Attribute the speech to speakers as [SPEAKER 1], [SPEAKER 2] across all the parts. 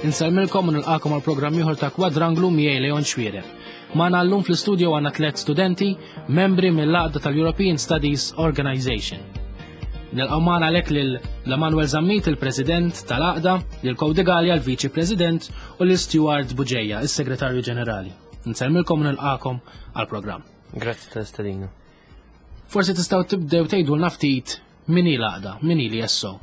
[SPEAKER 1] Insellmilkom u nilqakom għal programm ieħor ta' Kwadranglu miegħi Leon Xwiereb. Magħna llum fl-istudio għandna tliet studenti, membri mill-għaqda tal-European Studies Organization. Nilqgħu magħna għalhekk lil Emanuel Zammit, il-President tal-għaqda, lil Cody Gallia, l-Viċi President, u lil Stuart Buġeja, is-Segretarju Ġenerali. Nsellmilkom u nilqakom għall-programm.
[SPEAKER 2] Grazzi tal-istedina.
[SPEAKER 1] Forsi tistgħu tibdew tgħidulna ftit min hi l-għaqda, min hi l-ESO.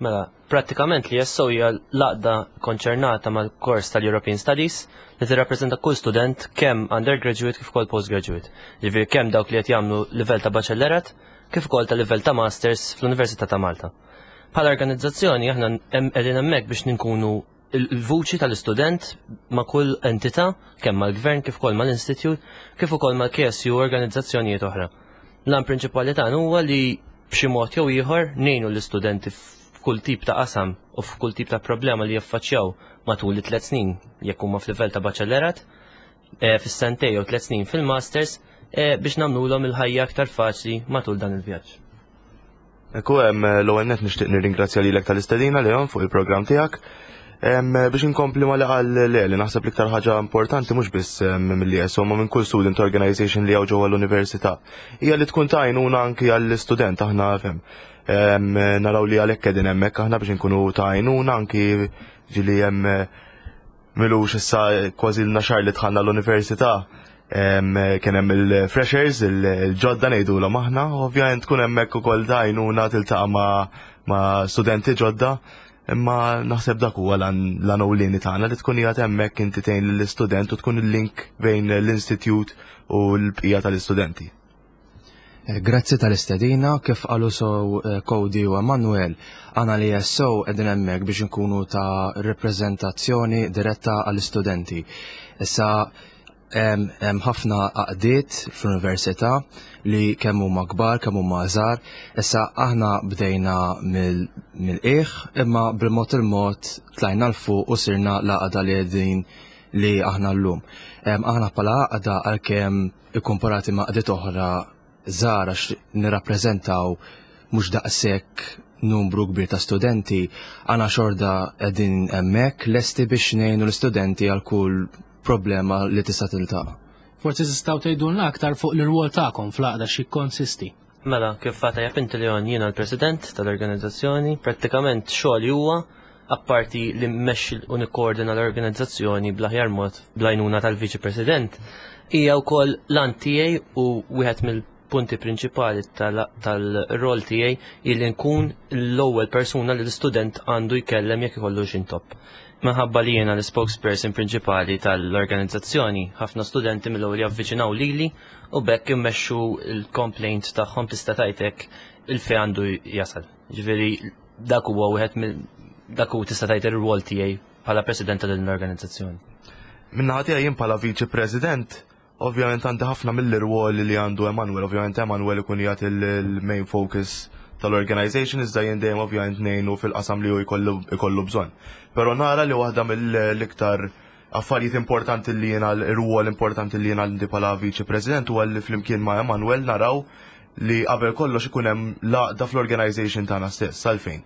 [SPEAKER 2] Mela, prattikament li ESO hija l-għaqda konċernata mal-kors tal-European Studies li tirrappreżenta kull student kemm undergraduate kif ukoll postgraduate. Ġifieri kemm dawk li qed jagħmlu livell ta' baċellerat kif ukoll ta' livell ta' masters fl-Università ta' Malta. Bħala organizzazzjoni aħna qegħdin hemmhekk biex ninkunu il-vuċi tal-istudent ma' kull entità, kemm mal-gvern kif ukoll mal-institute, kif ukoll mal-KSU u organizzazzjonijiet oħra. L-għan prinċipali tagħna huwa li b'xi mod jew ieħor ngħinu l-istudenti f'kull tip ta' qasam u f'kull tip ta' problema li jaffaċċjaw matul it-tliet snin jekk huma f'livell ta' baċellerat, eh, fis-sentej jew tliet snin fil-masters eh, biex nagħmluhom il-ħajja aktar faċli matul dan il-vjaġġ.
[SPEAKER 3] Ekku, l-ewwel nett nixtieq nirringrazzja lilek tal-istedina Leon fuq il-programm tiegħek. Biex inkompli ma li qal le li naħseb l-iktar ħaġa importanti mhux biss mill-ESO ma minn kull student organization li hawn ġewwa l-università. Hija li tkun ta' għajnuna anki għall-istudent aħna fhem. Naraw li għalhekk qegħdin hemmhekk aħna biex inkunu ta' għajnuna anki ġieli hemm Milux issa kważi l xahar li dħalna l-università kien hemm il-freshers, il-ġodda ngħidulhom aħna, ovvjament tkun hemmhekk ukoll dajnuna tiltaqa' ma' studenti ġodda, imma naħseb dak huwa l-għan tagħna li tkun qiegħed hemmhekk inti tgħin lill-istudent u tkun il-link bejn l-institute u l-bqija tal-istudenti.
[SPEAKER 4] Eh, grazzi tal-istedina, kif qalu sow eh, Cody u Emanuel, għana li jessow edin hemmhekk biex nkunu ta' reprezentazzjoni diretta għall-istudenti. Issa hemm ħafna għaqdiet fl-università li kemm huma kbar, kemm huma żgħar. Issa aħna bdejna mill-qiegħ imma bil-mod il-mod tlajna 'l fuq u sirna l-għaqda li qegħdin li aħna llum. Aħna bħala għaqda għalkemm ikkumparati ma' għaqdiet oħra żgħar għax nirrappreżentaw mhux daqshekk numru kbir ta' studenti, għana xorda qegħdin hemmhekk lesti biex ngħinu l-istudenti għal kull problema li tista' tiltaqa'.
[SPEAKER 1] Forsi tistgħu tgħidulna aktar fuq l-irwol tagħkom fl-għaqda x'jikkonsisti.
[SPEAKER 2] Mela, kif fata inti Leon jiena l-president tal-organizzazzjoni, prattikament xogħli huwa apparti li mmexxi u nikkoordina l-organizzazzjoni bl-aħjar mod bl-għajnuna tal-Viċi President, hija wkoll l-għan tiegħi u wieħed mill-punti prinċipali tal-rol tiegħi illi nkun l-ewwel persuna li l-istudent għandu jkellem jekk ikollu x'intopp. Minħabba li jiena l-spokesperson prinċipali tal-organizzazzjoni, ħafna studenti mill-ewwel javviċinaw lili u bekk immexxu l-complaint tagħhom tista' tgħidlek il-fejn għandu jasal. Ġifieri dak huwa wieħed mill dak hu tista' tgħid ir-rwol tiegħi bħala president ta' din l-organizzazzjoni.
[SPEAKER 3] Min-naħa tiegħi jien bħala viċi president, ovvjament għandi ħafna mill-irwoli li għandu Emanuel, ovvjament Emanuel ikun jagħti il-main focus tal-organization iżda jien dejjem ovvjament ngħinu fil-qasam li hu jkollu bżonn. Però nara li waħda mill-iktar affarijiet importanti li jiena l-rwol importanti li jiena għandi bħala viċi president huwa li flimkien ma' Emanuel naraw li qabel kollox ikun hemm l-għaqda fl-organization tagħna stess, għalfejn.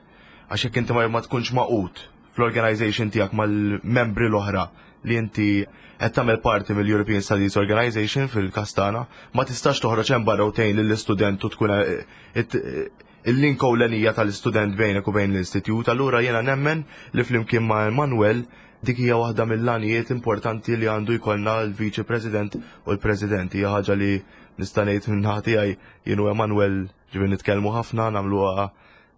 [SPEAKER 3] Għax jekk inti ma tkunx magħqud fl-organization tiegħek mal-membri l-oħra li inti qed tagħmel parti mill-European Studies Organization fil-każ tagħna, ma tistax toħroġ hemm barra u tgħin lill-istudent u tkun eh, il-link ewlenija tal-istudent bejnek u bejn l-istitut, allura jiena nemmen li flimkien ma' Emanuel dik hija waħda mill-għanijiet importanti li għandu jkollna l-Viċi President u l-President. Hija ħaġa li nista' ngħid minn naħa tiegħi jien u Emanuel ġifieri nitkellmu ħafna, nagħmluha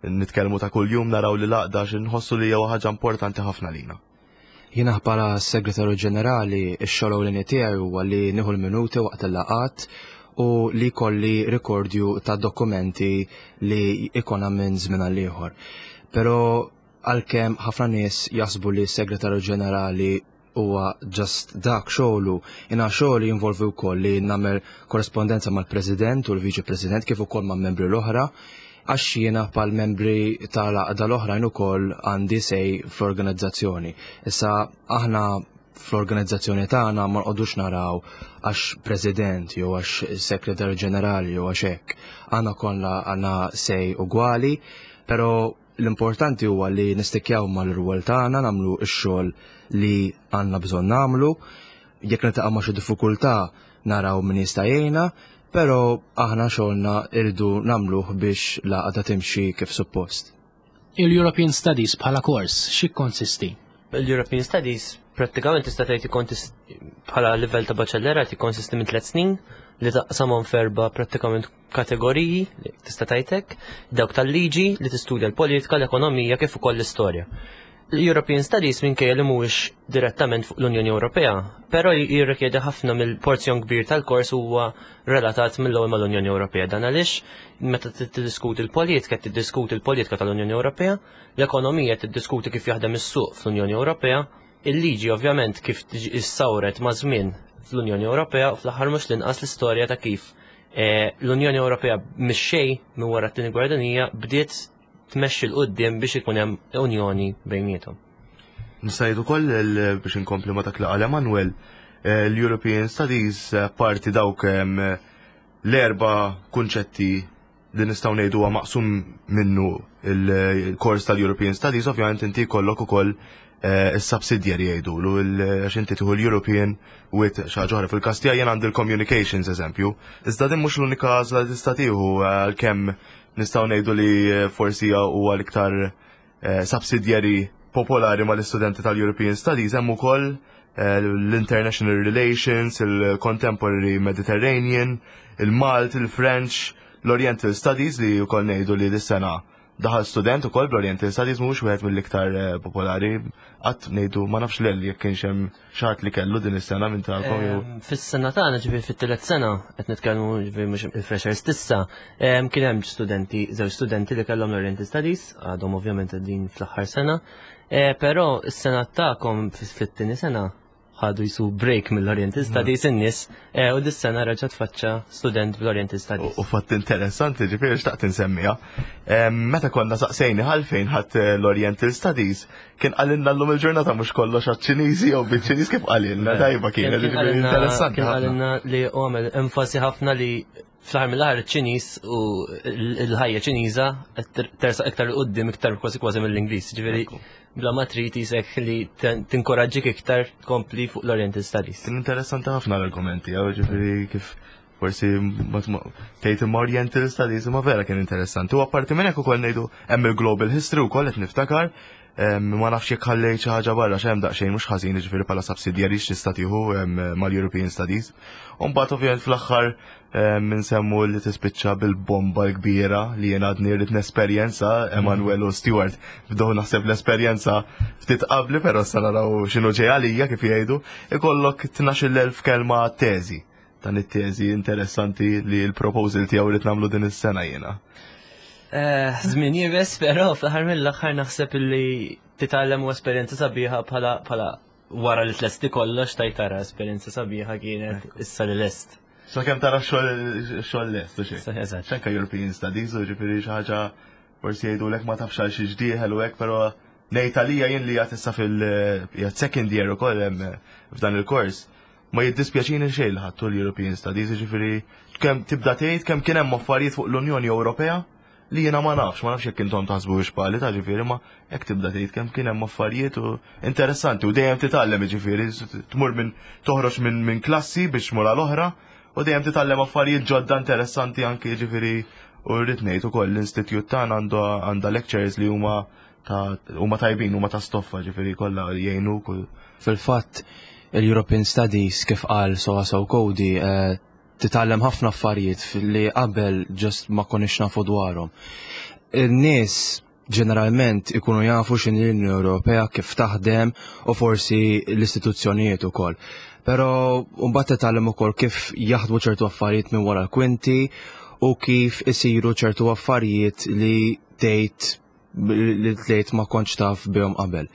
[SPEAKER 3] nitkellmu ta' kuljum naraw li l-għaqda għax inħossu li hija ħaġa importanti ħafna lina.
[SPEAKER 4] Jiena bħala Segretarju Ġenerali x-xogħol ewlieni tiegħi huwa li nieħu l-minuti waqt il-laqgħat u li jkolli rikordju ta' dokumenti li jkollna minn żmien għal ieħor. Però għalkemm ħafna nies jaħsbu li s-Segretarju Ġenerali huwa just dak xogħlu, jiena xogħli jinvolvi wkoll li nagħmel korrespondenza mal-President u l-Viċi President kif ukoll ma' membri l-oħra għax jiena pal membri tal-għaqda l-oħrajn ukoll għandi sej fl-organizzazzjoni. Issa aħna fl-organizzazzjoni tagħna ma nqogħdux naraw għax president jew għax segretarju ġenerali jew għax hekk. Aħna kollha għandna sej ugwali, però L-importanti huwa li nistikjaw mal-rwol tagħna, nagħmlu x-xogħol li għandna bżonn nagħmlu. Jekk niltaqgħu ma' xi diffikultà naraw min jista' jgħinna, però aħna xogħolna irridu nagħmluh biex l-għaqda timxi kif suppost.
[SPEAKER 1] Il-European Studies bħala kors x'jikkonsisti?
[SPEAKER 2] Il-European Studies prattikament tista' tgħid bħala livell ta' baċellerat jikkonsisti minn tliet snin li taqsamhom f'erba' prattikament kategoriji tista' tgħidlek, dawk tal-liġi li tistudja l-politika, l-ekonomija kif ukoll l-istorja. L-European Studies minkejja li mhuwiex direttament fuq l-Unjoni Ewropea, però jirrikjedi ħafna mill-porzjon kbir tal-kors huwa relatat mill-ewwel mal-Unjoni Ewropea. Dan għaliex meta tiddiskuti l-politika, tiddiskuti l-politika tal-Unjoni Ewropea, l-ekonomija tiddiskuti kif jaħdem is-suq fl-Unjoni Ewropea, il-liġi ovvjament kif issawret ma' żmien fl-Unjoni Ewropea u fl-aħħar mhux l-inqas l-istorja ta' kif eh, l-Unjoni Ewropea mix-xejn minn wara t-tieni gwerra dinjija bdiet tmexxi 'l quddiem biex ikun hemm unjoni bejniethom.
[SPEAKER 3] Nista' ngħid ukoll biex inkompli ma' dak li qal Emanuel, eh, l-European Studies eh, parti dawk l-erba' kunċetti li nistgħu ngħidu huwa maqsum minnu il-kors tal-European Studies, ovvjament inti jkollok ukoll eh, is-subsidiary jgħidulu għax inti tieħu l-European with xi ħaġa oħra. Fil-każ tiegħi jien għandi l-communications eżempju. Iżda din mhux l-unika għażla li tista' tieħu għalkemm nistgħu ngħidu li forsi huwa l-iktar eh, subsidiary popolari mal-istudenti tal-European Studies hemm ukoll eh, l-International Relations, il-Contemporary Mediterranean, il-Malt, il-French, l-Oriental Studies li wkoll ngħidu li dis-sena daħal student ukoll bl-Oriental Studies mhux wieħed mill-iktar eh, popolari qatt ngħidu ma nafx lel jekk kienx hemm xi li kellu din is-sena minn tagħkom jew.
[SPEAKER 2] Fis-sena tagħna ġifieri fit-tielet sena qed nitkellmu ġifieri mhux il-freshers tissa, kien hemm studenti, żewġ studenti li kellhom l-Oriental Studies, għadhom ovvjament din fl-aħħar sena, eh, però s-sena tagħkom fit-tieni sena ħadu jisu break mill-Oriental Studies in-nies eh, u dis-sena reġa' tfaċċa student bl-Oriental Studies.
[SPEAKER 3] U fatt interessanti ġifieri xtaqt insemmiha. Meta konna saqsejni għalfejn ħadd eh, l-Oriental Studies, kien qalilna llum il-ġurnata mhux kollox għaċ-Ċiniżi jew biċ-Ċiniż kif qalilna eh, tajba kienet
[SPEAKER 2] interessanti. Kien qalilna li għamel enfasi ħafna li fl-aħħar mill-aħħar iċ-Ċiniż u l-ħajja Ċiniża tersaq iktar 'il quddiem iktar kważi kważi mill-Ingliż. Ġifieri bla ma trid isek li tinkoraġġik iktar tkompli fuq l-Oriental Studies.
[SPEAKER 3] Kien interessanti ħafna l-argumenti, ġifieri kif forsi tgħid imma Oriental Studies imma vera kien interessanti. U apparti minn hekk ukoll ngħidu hemm il-Global History wkoll qed niftakar ma nafx jekk ħallejt xi ħaġa barra x'hemm daqsxejn mhux ħażin jiġifieri bħala subsidjarji x'tista' tieħu mal-European Studies. U mbagħad ovvjament fl-aħħar nsemmu li tispiċċa bil-bomba l-kbira li jien għadni rrid nesperjenza Emanuel u Stewart bdew naħseb l-esperjenza ftit qabli però sa naraw x'inhu ġej għalija kif jgħidu, ikollok 12,000 kelma teżi. Dan it-teżi interessanti li l-proposal tiegħu rrid nagħmlu din is-sena jiena.
[SPEAKER 2] Eh, żmien jibes, però fl-aħħar mill-aħħar naħseb li titgħallem u esperjenza sabiħa bħala bħala wara li tlesti kollox tajt tara esperjenza sabiħa kienet issa li lest.
[SPEAKER 3] Sa kemm tara xogħol lest u xejn.
[SPEAKER 2] Eżatt.
[SPEAKER 3] Anke European Studies u ġifieri xi ħaġa forsi jgħidulek ma tafx għal xi ġdieħel u hekk, però ngħid għalija jien li qed issa fil second year ukoll hemm f'dan il-kors. Ma jiddispjaċini xejn li ħadtu l-European Studies, jiġifieri kemm tibda tgħid kemm kien hemm affarijiet fuq l-Unjoni Ewropea li jiena ma nafx, ma nafx jekk intom taħsbu biex pali ta' ġifieri ma hekk tibda tgħid kemm kien hemm affarijiet u interessanti u dejjem titgħallem jiġifieri tmur minn toħroġ minn min klassi biex tmur għal oħra u dejjem titgħallem affarijiet ġodda interessanti anke jiġifieri u rrid ngħid ukoll l-institute tagħna għandu għandha lectures li huma ta' huma tajbin, huma ta' stoffa ġifieri kollha jgħinu kull.
[SPEAKER 4] Fil-fatt, il-European Studies kif qal Soasow Cody eh, titgħallem ħafna affarijiet li qabel ġust ma konniex nafu dwarhom. In-nies ġeneralment ikunu jafu x'inhi l-Unjoni Ewropea kif taħdem u forsi l-istituzzjonijiet ukoll. Però mbagħad titgħallem ukoll kif jaħdmu ċertu affarijiet minn wara l-kwinti u kif isiru ċertu affarijiet li tgħid li tgħid ma kontx taf bihom qabel.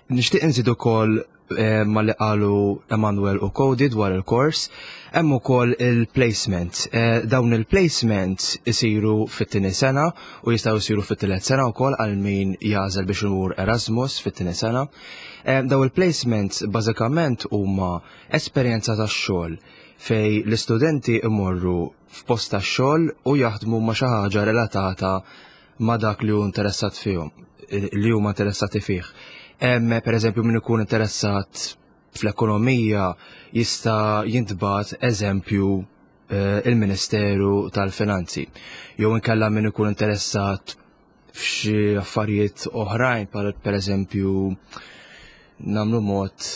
[SPEAKER 4] Nixtieq inżid ukoll eh, ma li qalu Emanuel u Cody dwar il-kors, hemm ukoll il-placement. Eh, dawn il-placements isiru fit-tieni sena u jistgħu jsiru fit-tielet sena wkoll għal min jagħżel biex imur Erasmus fit-tieni sena. Eh, dawn il-placements bażikament huma esperjenza tax-xogħol fej l-istudenti imorru f'post tax-xogħol u jaħdmu ma' xi ħaġa relatata. ma' dak li hu interessat fihom, li huma interessati fih. Hemm pereżempju min ikun interessat fl-ekonomija jista' jintbagħat eżempju eh, il-Ministeru tal-Finanzi. Jew inkella min ikun interessat f'xi affarijiet oħrajn, per eżempju nagħmlu mod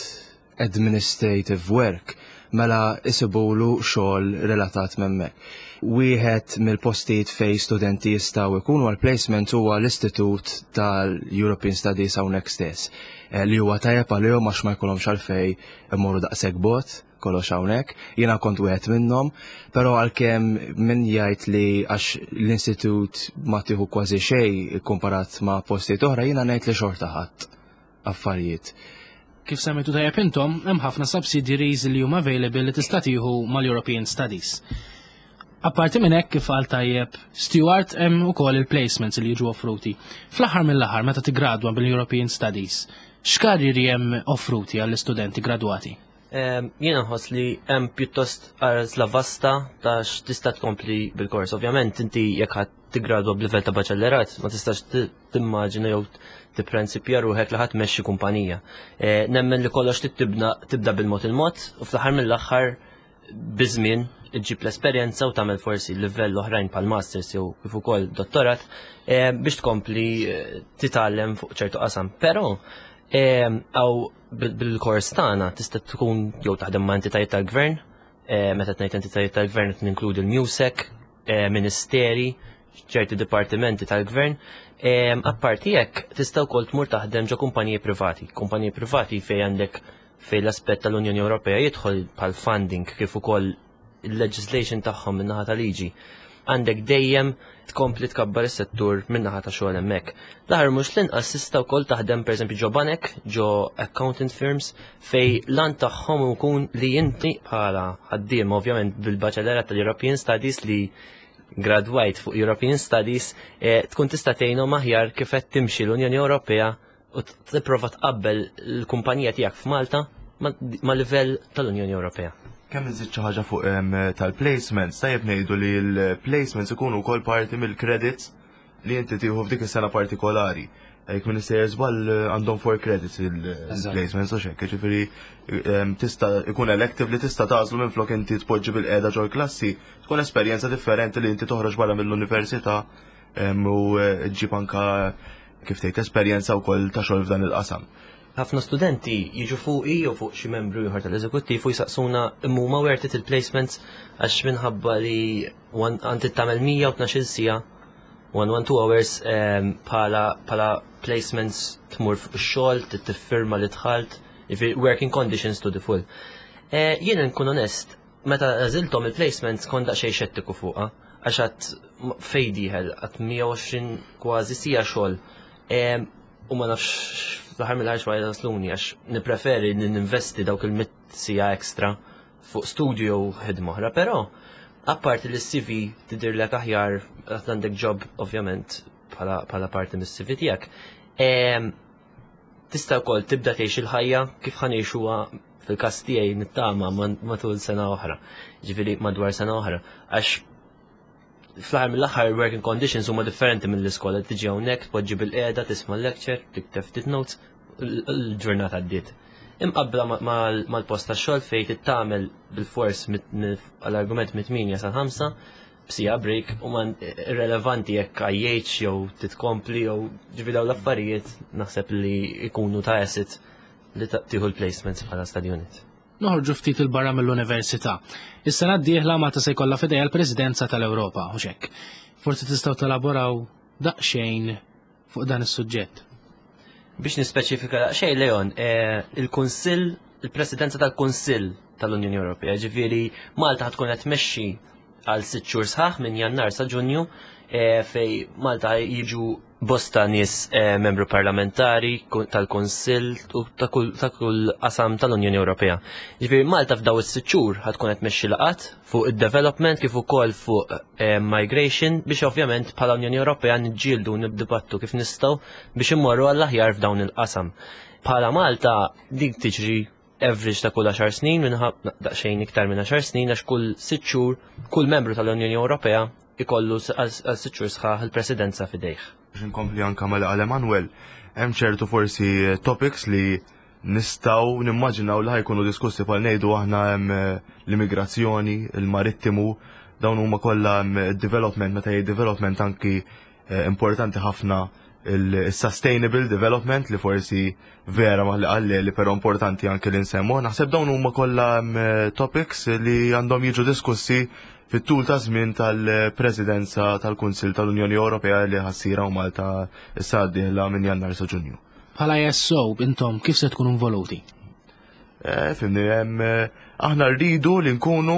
[SPEAKER 4] administrative work, mela isibulu xogħol relatat m'hemmhekk. Wieħed mill-postijiet fejn studenti jistgħu jkunu għal placement huwa l-Istitut tal-European Studies hawnhekk stess, eh, li huwa tajjeb għalihom għax ma jkollhomx għalfejn imorru daqshekk bogħod kollox hawnhekk. Jiena kont wieħed minnhom, però għalkemm min jgħid li għax l-istitut ma tieħu kważi xejn komparat ma' postijiet oħra, jiena ngħid li xorta ħadd affarijiet.
[SPEAKER 1] Kif semmejtu tajjeb intom, hemm ħafna subsidiaries li huma available li tista' tieħu mal-European Studies. Apparti minn hekk kif qal tajjeb Stewart hemm ukoll il-placements li jiġu offruti. Fl-aħħar mill-aħħar meta tiggradwa bil-European Studies, x'karrieri hemm offruti għall-istudenti gradwati?
[SPEAKER 2] Jiena nħoss li hemm pjuttost għażla vasta ta' x'tista' tkompli bil-kors. Ovvjament inti jekk ħadd tiggradwa b'livell ta' baċellerat ma tistax timmaġina jew tipprensipja ruħek li ħadd tmexxi kumpanija. Eh, nemmen li kollox tibda bil-mod il-mod u fl-aħħar mill-aħħar biż-żmien iġġib l-esperjenza u tagħmel forsi livell oħrajn pal masters jew kif ukoll dottorat eh, biex tkompli eh, titgħallem fuq ċertu qasam. Però għaw bil-kors tagħna tista' tkun jew taħdem ma' entitajiet tal-gvern, eh, meta tgħid entitajiet tal-gvern qed ninkludi l-MUSEC, eh, ministeri, ċerti dipartimenti tal-gvern. Eh, apparti hekk tista' wkoll tmur taħdem ġo kumpaniji privati. Kumpaniji privati fejn għandek fejn l-aspett tal-Unjoni Ewropea jidħol bħal funding kif ukoll il-legislation tagħhom min-naħa ta' liġi għandek dejjem tkompli tkabbar is-settur min-naħa ta' xogħol hemmhekk. L-aħħar mhux l-inqas tista' wkoll taħdem pereżempju ġo banek, ġo accountant firms fej lan tagħhom ikun li inti bħala ħaddiem ovvjament bil-baċellerat tal-European Studies li gradwajt fuq European Studies eh, tkun tista' tgħinhom aħjar kif qed timxi l-Unjoni Ewropea u tipprova tqabbel l-kumpanija tiegħek f'Malta ma' livell tal-Unjoni Ewropea.
[SPEAKER 3] Kemm nżid xi ħaġa fuq tal-placements, tajjeb ngħidu li l-placements ikunu wkoll parti mill-credits li inti tieħu f'dik is-sena partikolari. Jekk minn sejjer żball għandhom four credits il-placements u xekk, ġifieri tista' ikun elective li tista' tagħżlu minn flok inti tpoġġi bil-qiegħda ġol-klassi, tkun esperjenza differenti li inti toħroġ barra mill-università u eh, ġib anka kif tgħid esperjenza wkoll ta' xogħol f'dan il-qasam.
[SPEAKER 2] Ħafna studenti jiġu fuqi jew fuq xi membru ieħor tal-eżekuttiv u jsaqsuna imma huma worth it il-placements għax minħabba li għandi tagħmel 112 siegħa 112 hours bħala bħala placements tmur fuq ix-xogħol, tiffirma li dħalt, working conditions to the full. Eh, jiena nkun onest, Meta għażilthom il-placements kont daqsxejn xettiku fuqha għax għad fejn dieħel għad 120 kważi sija xogħol. U ma nafx fl-aħħar mill-aħħar x'ma jasluni għax nippreferi li ninvesti dawk il-mit sija ekstra fuq studju jew ħidma oħra, però apparti li s-CV tidirlek aħjar għad għandek job ovvjament bħala parti mis-CV tiegħek. Tista' wkoll tibda tgħix il-ħajja kif ħa ngħixuha fil-każ tiegħi nittama matul sena oħra, ġifieri madwar sena oħra, għax fl-aħħar mill-aħħar working conditions huma differenti mill-iskola, tiġi hawnhekk, tpoġġi bil-qiegħda, tisma' lecture, tikteb ftit notes, l-ġurnata għaddiet. Imqabbla mal-post tax-xogħol fejn tittamel bil-fors għall-argument mit-8 sal-5 b'sija break u man irrelevanti jekk għajjejtx jew titkompli jew ġifi dawn l-affarijiet naħseb li jkunu ta' asset li tieħu l-placements bħala study unit.
[SPEAKER 1] Noħorġu ftit il-barra mill-università. Is-sena d-dieħla Malta se jkollha f'idejha l-Presidenza tal-Ewropa, u hekk. Forsi tistgħu telaboraw daqsxejn fuq dan is-suġġett.
[SPEAKER 2] Biex nispeċifika daqsxejn, Leon, eh, il-Kunsill, il-Presidenza tal-Kunsill tal-Unjoni Ewropea, ġifieri Malta tkun qed tmexxi għal sitt xhur sħaħ minn Jannar sa Ġunju eh, fej Malta jiġu bosta nies eh, membru parlamentari tal-Kunsill u ta' kull qasam tal-Unjoni Ewropea. Ġifieri Malta f'daw is-sitt xhur ħad tkun qed tmexxi laqat fuq id-development kif ukoll fuq eh, migration biex ovvjament bħala Unjoni Ewropea niġġieldu nibdibattu kif nistgħu biex immorru għall-aħjar f'dawn il-qasam. Bħala Malta dik tiġri average ta' kull 10 snin minħab daqsxejn iktar minn 10 snin għax kull sitt xhur kull membru tal-Unjoni Ewropea ikollu għal 6 xhur sħaħ il-presidenza f'idejh.
[SPEAKER 3] Biex inkompli anka ma' li qal Emanuel, hemm ċertu forsi topics li nistgħu nimmaġinaw li ħajkunu diskussi bħal ngħidu aħna hemm l-immigrazzjoni, il-marittimu, dawn huma kollha development, meta jgħid development anki importanti ħafna il-sustainable development li forsi vera ma li qalli li però importanti anke li nsemmu. Naħseb dawn huma kollha topics li għandhom jiġu diskussi fit-tul ta' żmien tal-Presidenza tal-Kunsill tal-Unjoni Ewropea li ħassira u Malta issa d-dieħla minn Jannar sa Ġunju.
[SPEAKER 1] Bħala ESO intom kif se tkunu involuti?
[SPEAKER 3] Fimni, aħna rridu li nkunu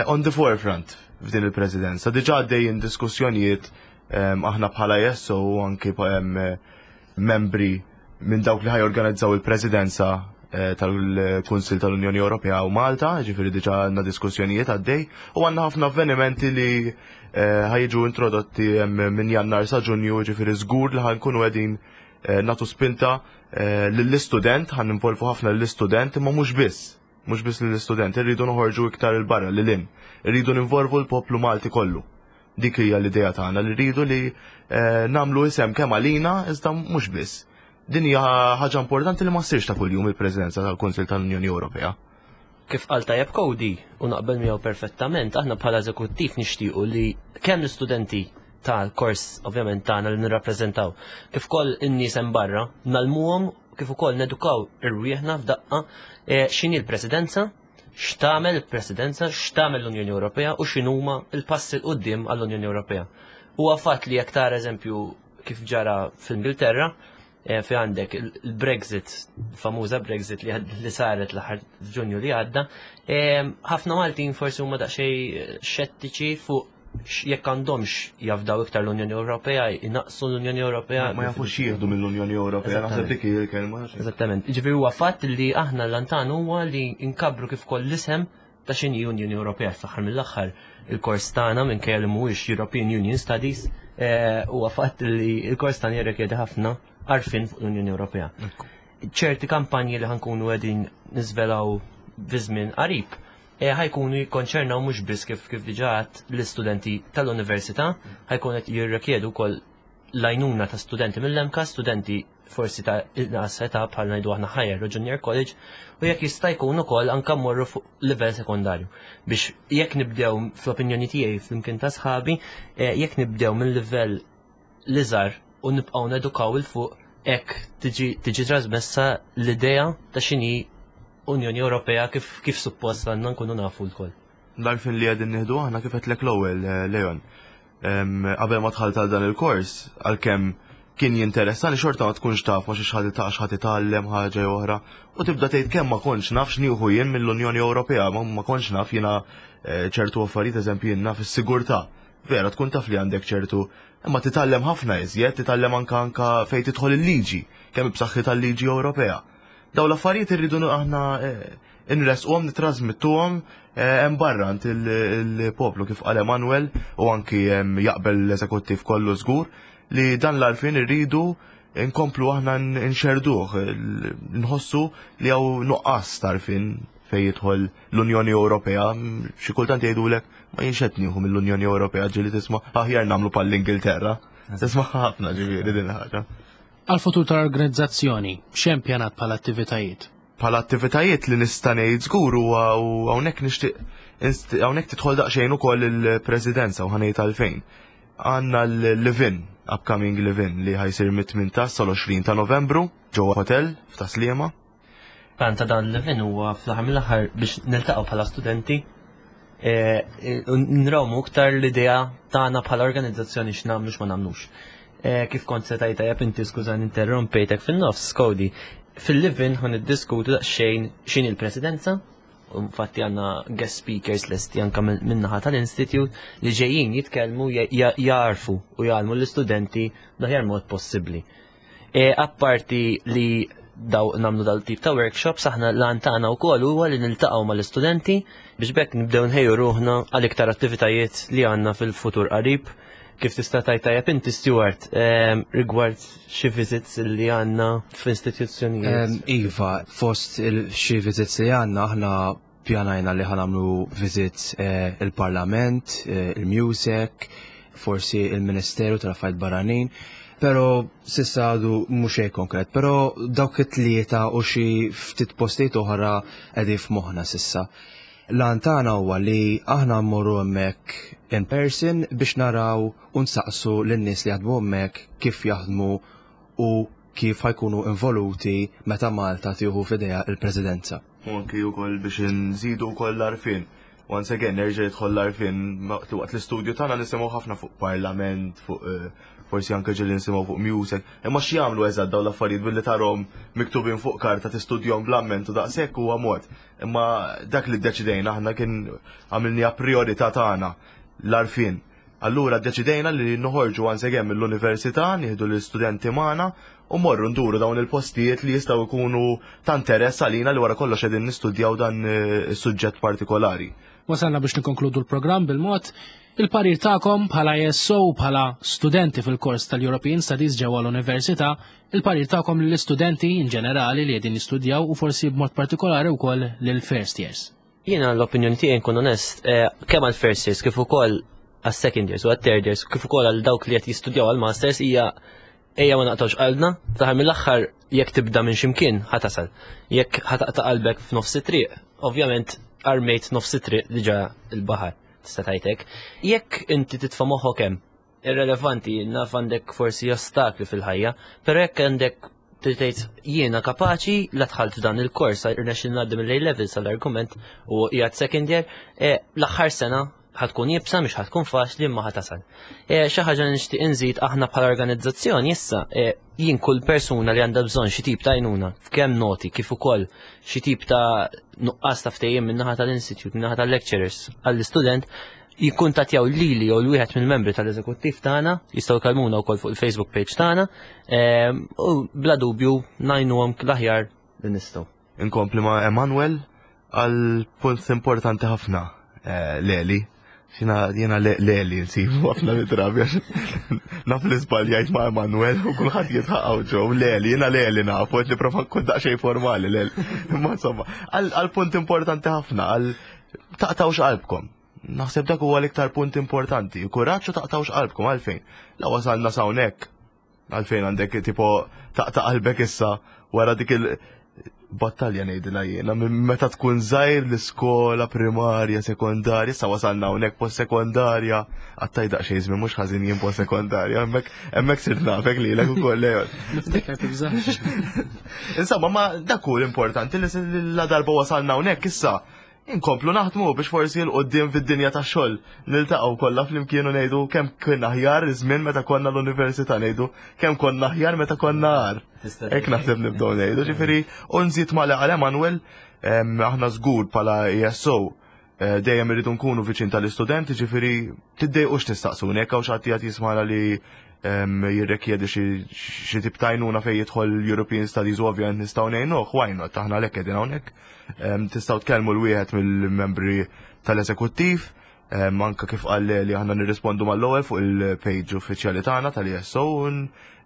[SPEAKER 3] on the forefront f'din il-presidenza. Diġà għaddejjin diskussjonijiet aħna bħala ESO u anki membri minn dawk li ħajorganizzaw il-presidenza tal-Kunsil tal-Unjoni Ewropea u Malta, ġifieri diġà għandna diskussjonijiet għaddej u għandna ħafna avvenimenti li ħajġu introdotti minn Jannar sa Ġunju, ġifieri żgur li ħankunu qegħdin natu spinta lill-istudent, ħan involvu ħafna lill-istudent, imma mhux biss, mhux biss lill-istudent, irridu noħorġu iktar il-barra lil hinn, irridu ninvolvu l-poplu Malti kollu. Dik hija l-idea tagħna li rridu li nagħmlu isem kemm għalina iżda mhux biss. Din hija ħaġa importanti li ma ssirx ta' kuljum il-Presidenza tal-Kunsill tal-Unjoni Ewropea.
[SPEAKER 2] Kif qal tajjeb Cody, u naqbel miegħu perfettament, aħna bħala eżekuttiv nixtiequ li kemm l-istudenti tal-kors ovvjament tagħna li nirrappreżentaw, kif ukoll in-nies hemm barra, nalmuhom kif ukoll nedukaw irwieħna f'daqqa x'inhi l-presidenza, x'tagħmel il-presidenza, x'tagħmel l-Unjoni Ewropea u x'inhuma l-passi 'l quddiem għall-Unjoni Ewropea. Huwa fatt li jekk tara eżempju kif ġara fl-Ingilterra, fi għandek il-Brexit, famuża Brexit li saret l-aħħar f'Ġunju li għadda, ħafna Maltin forsi huma daqsxejn xettiċi fuq jekk għandhomx jafdaw iktar l-Unjoni Ewropea, jnaqsu l-Unjoni Ewropea.
[SPEAKER 3] Ma jafux jieħdu mill-Unjoni Ewropea, naħseb dik hi l-kelma.
[SPEAKER 2] Eżattament. Ġifieri huwa fatt li aħna l-antan huwa li nkabru kif koll l-isem ta' x'inhi Unjoni Ewropea fl-aħħar mill-aħħar il-kors tagħna minkejja li mhuwiex European Union Studies huwa fatt li l-kors tagħna jirrikjedi ħafna għarfien fuq l-Unjoni Ewropea. Ċerti kampanji li ħankunu qegħdin niżvelaw fi żmien qarib ħajkunu jikkonċernaw mhux biss kif diġà għedt l-istudenti tal-università, ħajkun qed jirrikjedu wkoll l-għajnuna ta' studenti mill-MCAST, studenti forsi ta' inqas età bħal ngħidu aħna higher u junior college, u jekk jista' jkun ukoll anke mmorru fuq livell sekondarju. Biex jekk nibdew fl-opinjoni tiegħi flimkien ta' sħabi, jekk nibdew minn livell l-iżgħar u nibqgħu nedukaw il fuq hekk tiġi trasmessa l-idea ta' x'inhi Unjoni Ewropea kif suppost għandna nkunu nafu lkoll.
[SPEAKER 3] L-għarfien li qegħdin nieħdu aħna kif għedtlek l-ewwel, Leon. Qabel ma dħalt għal dan il-kors, għalkemm kien jinteressani xorta ma tkunx taf ma xiex ħadd ta' x'ħadd itgħallem ħaġa jew oħra u tibda tgħid kemm ma kontx naf x'nieħu jien mill-Unjoni Ewropea, ma kontx naf jiena ċertu affarijiet, eżempju jien naf is-sigurtà. Vera tkun taf li għandek ċertu, imma titgħallem ħafna iżjed, titgħallem anka anka fejn tidħol il-liġi, kemm b'saħħitha tal-liġi Ewropea. Daw l-affarijiet irridu aħna inresquhom, nitrasmittuhom hemm barra għand il-poplu kif qal Emanuel u anki jaqbel l-eżekuttiv kollu żgur li dan l-għarfien irridu nkomplu aħna nxerduh, nħossu li hawn nuqqas tarfin fejn jidħol l-Unjoni Ewropea, xi kultant jgħidulek ma jienx qed nieħu mill-Unjoni Ewropea ġieli tisma' aħjar nagħmlu bħall-Ingilterra. Tisma' ħafna ġifieri din il-ħaġa.
[SPEAKER 1] Għal-futur tal-organizzazzjoni, x'hemm pjanat bħala attivitajiet?
[SPEAKER 3] Bħala attivitajiet li nista' ngħid żgur huwa u hawnhekk nixtieq hawnhekk tidħol daqsxejn ukoll il-Presidenza u ħanejt għalfejn. Għandna l-Livin, upcoming Livin li ħajsir mit-18 sal-20 ta' Novembru ġewwa hotel f'Tas-Sliema.
[SPEAKER 2] Plan ta' dan l-Livin huwa fl-aħħar mill-aħħar biex niltaqgħu bħala studenti nrawmu iktar l-idea tagħna bħala organizzazzjoni x'nagħmlu x'ma nagħmlux. Kif kont se tajta jab inti skużani interrompejtek fin-nofs, Cody. Fil-Livin ħan niddiskutu daqsxejn x'inhi l-presidenza, u infatti għandna guest speakers lesti anka min-naħa tal-Institute li ġejjin jitkellmu jarfu u jgħallmu l-istudenti l-aħjar mod possibbli. Apparti li daw namlu dal-tip ta' workshops, aħna l-għan tagħna wkoll huwa li niltaqgħu mal-istudenti biex bekk nibdew nħejju ruħna għal iktar attivitajiet li għandna fil-futur qarib. Kif tista' tajt tajjeb inti Stuart, rigward xi visits li għandna fl-istituzzjonijiet?
[SPEAKER 4] Iva, fost xi visits li għandna aħna Ippjanajna li ħa nagħmlu visits il-Parlament, il-MUSEC, forsi il-Ministeru tal-Affarijiet Barranin, però s'issa għadu mhux xejn konkret, però dawk it-tlieta u xi ftit postijiet oħra qegħdin f'moħħna s'issa. L-għan tagħna huwa li aħna mmorru hemmhekk in person biex naraw u nsaqsu lin-nies li jaħdmu hemmhekk kif jaħdmu u kif ħa jkunu involuti meta Malta tieħu f'idejha l-Presidenza.
[SPEAKER 3] U anki wkoll biex nżidu wkoll l-għarfien. Once again, nerġa' jidħol l-għarfien waqt l-istudju tagħna nisimgħu ħafna fuq parlament, fuq eh, forsi anke ġieli nisimgħu fuq music, imma x'jagħmlu eżatt dawn l-affarijiet billi tarhom miktubin fuq karta tistudjhom bl-amment u daqshekk huwa mod. Imma dak li ddeċidejna aħna kien għamilniha priorità tagħna l-għarfien. Allura ddeċidejna li noħorġu once again mill-università, nieħdu l-istudenti magħna u morru nduru dawn il-postijiet li jistgħu jkunu ta' interess għalina li wara kollox qegħdin nistudjaw dan eh, is-suġġett partikolari.
[SPEAKER 1] Wasalna biex nikkonkludu l-programm bil-mod il-parir tagħkom bħala ESO u bħala studenti fil-kors tal-European Studies ġewwa l-Università, il-parir tagħkom lill-istudenti in ġenerali li qegħdin jistudjaw u forsi b'mod partikolari wkoll lill-first years.
[SPEAKER 2] Jiena l-opinjoni tiegħi nkun onest, eh, kemm għal first years kif ukoll għas second years u għal third years kif ukoll għal dawk li qed jistudjaw għal masters hija ejja ma naqtgħux qalbna, fl-aħħar mill-aħħar jekk tibda minn ximkien ħatasal. Jekk ħataqta' qalbek f'nofs it-triq, ovvjament armejt nofs it-triq diġà il-baħar, tista' tgħidlek. Jekk inti titfa' moħħok hemm, irrelevanti, naf għandek forsi ostakli fil-ħajja, però jekk għandek tgħid jiena kapaċi la dħalt f'dan il-kors irnexxil ngħaddi mill-A levels għall-argument u qiegħed second year, eh, l-aħħar sena ħatkun jibsa mhix ħatkun faċli imma ħatasal. Eh, xi ħaġa li nixtieq inżid aħna bħala organizzazzjoni issa eh, jien kull persuna li għandha bżonn xi tip ta' għajnuna f'kemm noti kif ukoll xi tip ta' nuqqas ta' ftehim min-naħa tal-institute, min-naħa tal-lecturers għall-istudent jikkuntattjaw lili jew l-wieħed mill-membri tal-eżekuttiv tagħna, jistgħu jkellmuna wkoll fuq il-Facebook page tagħna, ehm, u bla dubju ngħinuhom l-aħjar li nistgħu.
[SPEAKER 3] Inkompli ma' Emanuel għal punt importanti ħafna eh, Leli. Xina jena Leli nsibu ħafna mid-drabi għax naf li żbaljajt ma' Emanuel u kulħadd jitħaqgħu ġew Leli, jiena Leli nafu qed nipprova nkun daqsxejn formali Leli. Imma insomma, għal punt importanti ħafna, għal taqtawx qalbkom. Naħseb dak huwa l-iktar punt importanti. Kuraġġ u taqtawx qalbkom għalfejn. La wasalna s'hawnhekk. Għalfejn għandek tipo taqta' qalbek issa wara dik il battalja ngħidilha jiena minn meta tkun żgħir l-iskola primarja, sekondarja, issa wasalna hawnhekk post sekondarja, għattaj daqsxejn żmien mhux ħażin jien post sekondarja, hemmhekk hemmhekk sirt nafek lilek ukoll Leon.
[SPEAKER 1] Niftakar tibżax.
[SPEAKER 3] Insomma, ma dak hu l-importanti li la darba wasalna hawnhekk issa Inkomplu naħdmu biex forsi 'l quddiem fid-dinja tax-xogħol niltaqgħu kollha flimkien u ngħidu kemm kien aħjar iż-żmien meta konna l-università ngħidu kemm konna aħjar meta konna agħar. Hekk naħseb nibdew ngħidu, ġifieri u nżid ma' li qal Emanuel aħna żgur bħala ESO eh, dejjem irridu nkunu viċin tal-istudenti, ġifieri tiddejqux tistaqsuni jekk hawn xi ħadd qiegħed jismagħna li jirrekjedi xi tip ta' għajnuna fejn jidħol European Studies u ovvjament nistgħu ngħinuh, why not, aħna għalhekk qegħdin hawnhekk. Tistgħu tkellmu l-wieħed mill-membri tal-eżekuttiv, anka kif qal li aħna nirrispondu mal-ewwel fuq il-page uffiċjali tagħna tal-ESO u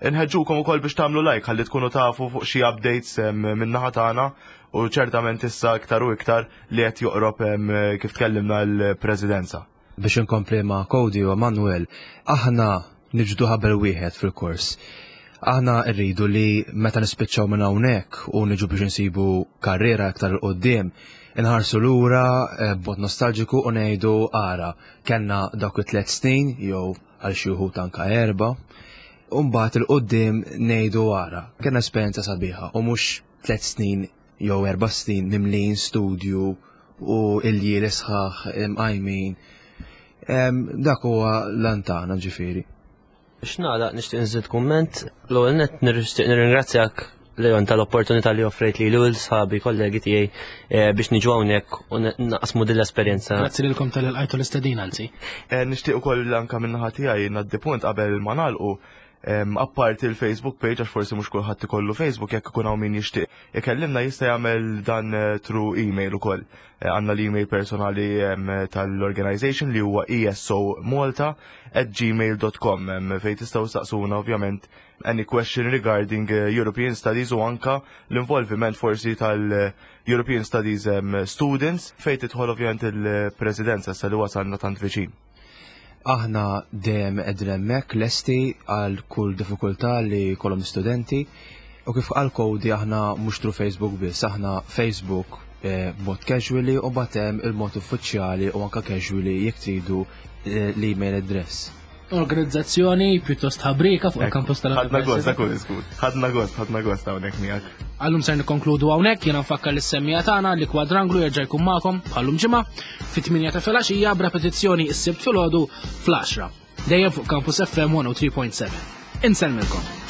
[SPEAKER 3] nħeġġukom ukoll biex tagħmlu like ħalli tkunu tafu fuq xi updates min-naħa tagħna u ċertament issa iktar u iktar li qed joqrob kif tkellimna l-Presidenza.
[SPEAKER 4] Biex inkompli ma' Cody u Emanuel, aħna niġbdu ħabel wieħed fil-kors. Aħna rridu li meta nispiċċaw minn hawnhekk u niġu biex insibu karriera iktar 'il quddiem, inħarsu lura eh, b'mod nostalġiku u ngħidu ara, kellna dawk it-tliet snin jew għal xi wħud anka erba', u mbagħad 'il quddiem ngħidu ara, kellna esperjenza sabiħa u mhux tliet snin jew erba' snin mimlijin studju u iljieli sħaħ imqajmin. Dak huwa l-għan tagħna ġifieri.
[SPEAKER 2] Biex nagħlaq nixtieq nżid kumment, l-ewwel nett nixtieq nirringrazzjak Leon tal-opportunità li offrejt li l sħabi kollegi tiegħi eh, biex niġu hawnhekk u naqsmu din l-esperjenza.
[SPEAKER 1] Grazzi lilkom tal-ilqajtu l-istedin anzi.
[SPEAKER 3] Eh, nixtieq ukoll anke min-naħa tiegħi ngħaddi punt qabel ma nagħlqu apparti il-Facebook page għax forsi mhux kulħadd ikollu Facebook jekk ikun hawn min jixtieq ikellimna jista' jagħmel dan through email ukoll. Għandna l-email personali tal-organization li huwa esomolta@gmail.com fejn tistgħu staqsuna ovvjament any question regarding European Studies u anka l-involviment forsi tal-European Studies students fejn tidħol ovvjament il-presidenza sa li wasalna tant viċin.
[SPEAKER 4] Aħna dejjem qegħdin hemmhekk lesti għal kull diffikultà li jkollhom studenti u kif qal Cody aħna mhux through Facebook biss, aħna Facebook b'mod casually u mbagħad hemm il-mod uffiċjali u anka casually jekk tridu l-email address.
[SPEAKER 1] Organizzazzjoni pjuttost ħabrika fuq il-kampus
[SPEAKER 3] tal-Ħadna gost, dak hu Ħadna gost, ħadna gost hawnhekk miegħek.
[SPEAKER 1] Għallum ser nikkonkludu hawnhekk, jiena nfakkar lis-semmiegħa tagħna li Kwadranglu jerġa' jkun magħkom bħallum ġimgħa fit-8 ta' filgħaxija b'repetizzjoni s-Sibt filgħodu fl-10. Dejjem fuq Campus FM 103.7. Insellmilkom.